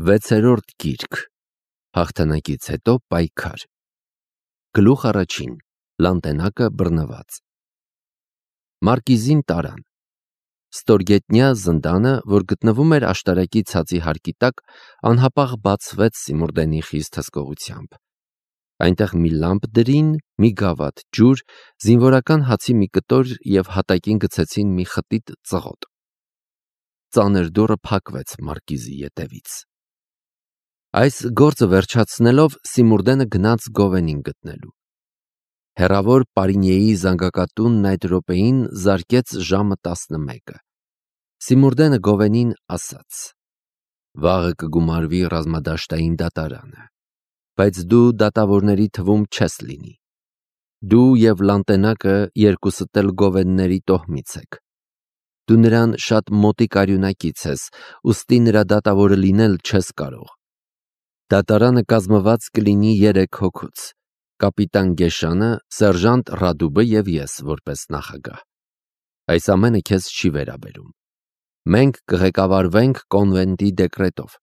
Վեցերորդ գիրք, հաղթանակից հետո պայքար, գլուխ առաջին, լանտենակը բռնված, Մարկիզին տարան, ստորգետնյա զնդանը, որ գտնվում էր աշտարակի ցածի հարկի տակ, անհապաղ բացվեց Սիմուրդենի խիստ հսկողությամբ, այնտեղ մի լամպ դրին, մի գավաթ ջուր, զինվորական հացի մի կտոր և հատակին գցեցին մի խտիտ ծղոտ, ծանր դուռը փակվեց Մարկիզի ետևից, այս գործը վերջացնելով Սիմուրդենը գնաց Գովենին գտնելու, հեռավոր Պարինիեի զանգակատունն այդ րոպեին զարկեց ժամը 11-ը, Սիմուրդենը Գովենին ասաց. «Վաղը կգումարվի ռազմադաշտային դատարանը, բայց դու դատավորների թվում չես լինի, դու և լանտենակը երկուսդ էլ Գովենների տոհմից եք, դու նրան շատ մոտիկ արյունակից ես, ուստի նրա դատավորը լինել չես կարող, դատարանը կազմված կլինի 3 հոգուց, կապիտան Գեշանը, սերժանտ Ռադուբը և ես որպես նախագահ, այս ամենը քեզ չի վերաբերում, մենք կղեկավարվենք կոնվենտի դեկրետով,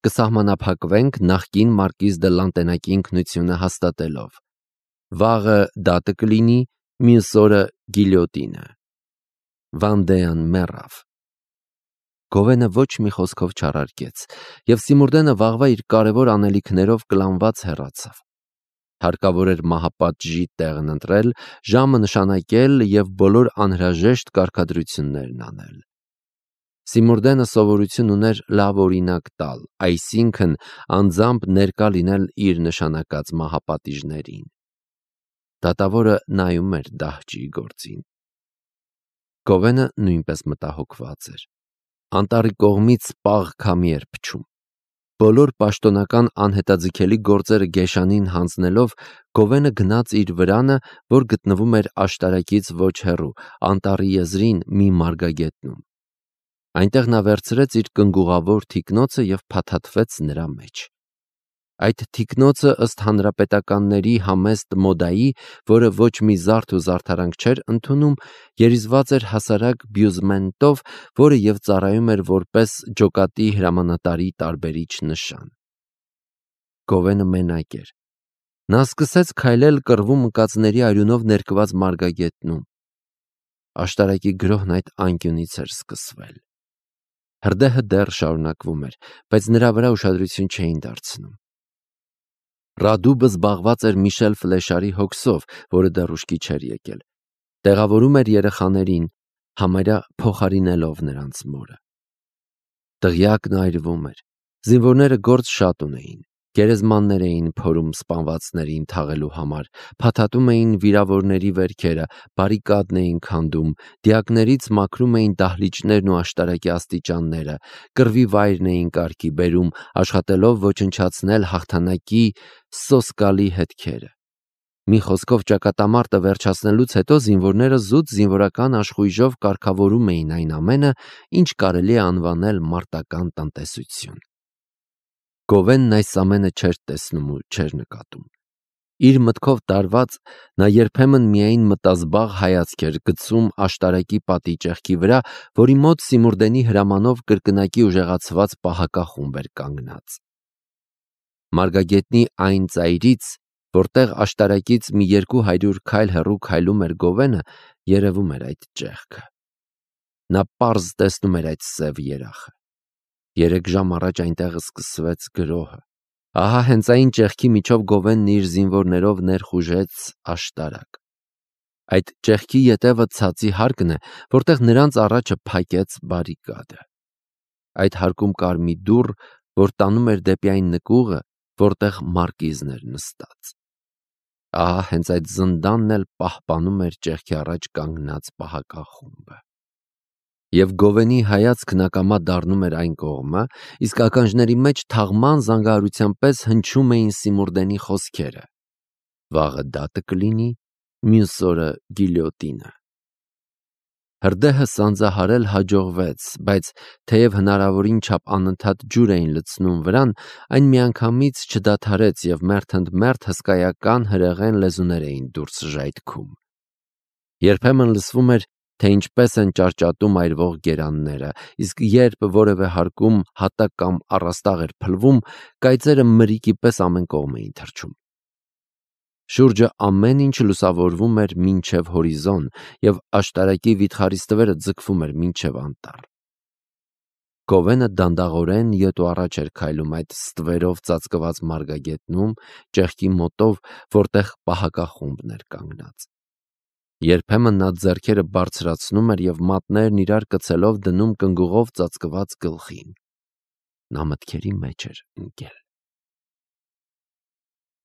կսահմանափակվենք նախկին Մարկիզ դը Լանտենակի ինքնությունը հաստատելով, վաղը դատը կլինի, մյուս օրը գիլյոտինը, Վանդեան մեռավ, Գովենը ոչ մի խոսքով չարարկեց, և Սիմուրդենը վաղվա իր կարևոր անելիքներով կլանված հեռացավ, հարկավոր էր մահապատժի տեղն ընտրել, ժամը նշանակել և բոլոր անհրաժեշտ կարգադրություններն անել, Սիմուրդենը սովորություն ուներ լավ օրինակ տալ, այսինքն անձամբ ներկա լինել իր նշանակած մահապատիժներին, դատավորը նայում էր դահճի գործին, Գովենը նույնպես մտահոգված էր, անտառի կողմից պաղ քամի էր փչում, բոլոր պաշտոնական անհետաձգելի գործերը Գեշանին հանձնելով, Գովենը գնաց իր վրանը, որ գտնվում էր աշտարակից ոչ հեռու, անտառի եզրին մի մարգագետնում, այնտեղ նա վերցրեց իր կնգուղավոր թիկնոցը և փաթաթվեց նրա մեջ, այդ թիկնոցը ըստ հանրապետականների համեստ մոդայի, որը ոչ մի զարդ ու զարդարանք չէր ընդունում, երիզված էր հասարակ բյուզմենտով, որը և ծառայում էր որպես ջոկատի հրամանատարի տարբերիչ նշան, Գովենը մենակ էր, նա սկսեց քայլել կռվում ընկածների արյունով ներկված մարգագետնում, աշտարակի գրոհն այդ անկյունից էր սկսվել, հրդեհը դեռ շարունակվում էր, բայց նրա վրա ուշադրություն չէին դարձնում, Ռադուբը զբաղված էր Միշել Ֆլեշարի հոգսով, որը դեռ ուշքի չէր եկել, տեղավորում էր երեխաներին, համարյա փոխարինելով նրանց մորը, դղյակն այրվում էր, զինվորները գործ շատ ունեին, գերեզմաններ էին փորում սպանվածներին թաղելու համար, փաթաթում էին վիրավորների վերքերը, բարիկադն էին քանդում, դիակներից մաքրում էին դահլիճներն ու աշտարակի աստիճանները, կռվի վայրն էին կարգի բերում, աշխատելով ոչնչացնել հաղթանակի սոսկալի հետքերը, մի խոսքով ճակատամարտը վերջացնելուց հետո զինվորները զուտ զինվորական աշխույժով կարգավորում էին այն ամենը, ինչ կարելի է անվանել մարտական տնտեսություն, Գովենն այս ամենը չէր տեսնում ու չէր նկատում, իր մտքով տարված, նա երբեմն միայն մտազբաղ հայացք էր գցում աշտարակի պատի ճեղքի վրա, որի մոտ Սիմուրդենի հրամանով կրկնակի ուժեղացված պահակախումբ էր կանգնած, մարգագետնի այն ծայրից, որտեղ աշտարակից մի 200 քայլ հեռու քայլում էր Գովենը, երևում էր այդ ճեղքը, նա պարզ տեսնում էր այդ սև երախը, 3 ժամ առաջ այնտեղ սկսվեց գրոհը, ահա հենց այն ճեղքի միջով Գովենն իր զինվորներով ներխուժեց աշտարակ, այդ ճեղքի ետևը ցածի հարկն է, որտեղ նրանց առաջը փակեց բարիկադը, այդ հարկում կար մի դուռ, որ տանում էր դեպի այն նկուղը, որտեղ Մարկիզն էր նստած, ահա հենց այդ զնդանն էլ պահպանում էր ճեղքի առաջ կանգնած պահակախումբը, և Գովենի հայացքն ակամա դառնում էր այն կողմը, իսկ ականջների մեջ թաղման զանգահարության պես հնչում էին Սիմուրդենի խոսքերը, վաղը դատը կլինի, մյուս օրը գիլյոտինը, հրդեհը սանձահարել հաջողվեց, բայց թեև հնարավորին չափ անընդհատ ջուր էին լցնում վրան, այն միանգամից չդադարեց և մերթ ընդ մերթ հսկայական հրեղեն լեզուներ էին դուրս ժայթքում, երբեմն լսվում էր թե ինչպես են ճարճատում այրվող գերանները, իսկ երբ որևէ հարկում հատակ կամ առաստաղ էր փլվում, կայծերը մրրիկի պես ամեն կողմ էին թռչում։ Շուրջը ամեն ինչ լուսավորվում էր մինչև հորիզոն, և աշտարակի վիթխարի ստվերը ձգվում էր մինչև անտառ։ Գովենը դանդաղորեն ետ ու առաջ էր քայլում այդ ստվերով ծածկված մարգագետնում, ճեղքի մոտով, որտեղ պահակախումբն էր կանգնած։ Երբեմն նա ձեռքերը բարձրացնում էր և մատներն իրար կցելով դնում կնգուղով ծածկված գլխին։ Նա մտքերի մեջ էր ընկել։